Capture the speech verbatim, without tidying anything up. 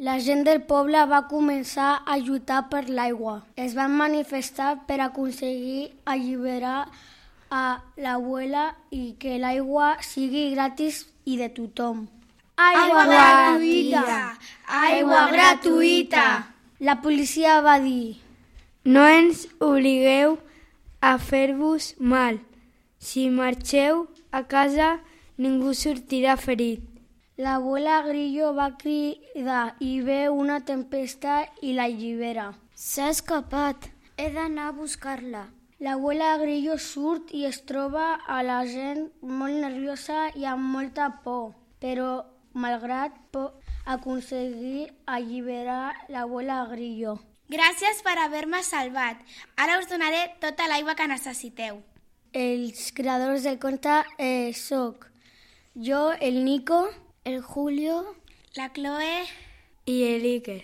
La gent del poble va començar a lluitar per l'aigua. Es van manifestar per aconseguir alliberar a l'abuela i que l'aigua sigui gratis i de tothom. Aigua gratuïta! Aigua gratuïta! La policia va dir: no ens obligueu a fer-vos mal. Si marxeu a casa, ningú sortirà ferit. L'abuela Grillo va cridar i ve una tempesta i l'allibera. S'ha escapat. He d'anar a buscar-la. L'abuela Grillo surt i es troba a la gent molt nerviosa i amb molta por, però malgrat por aconseguir alliberar l'abuela Grillo. Gràcies per haver-me salvat. Ara us donaré tota l'aigua que necessiteu. Els creadors del conte eh, soc jo, el Nico, el Julio, la Chloe i el Iker.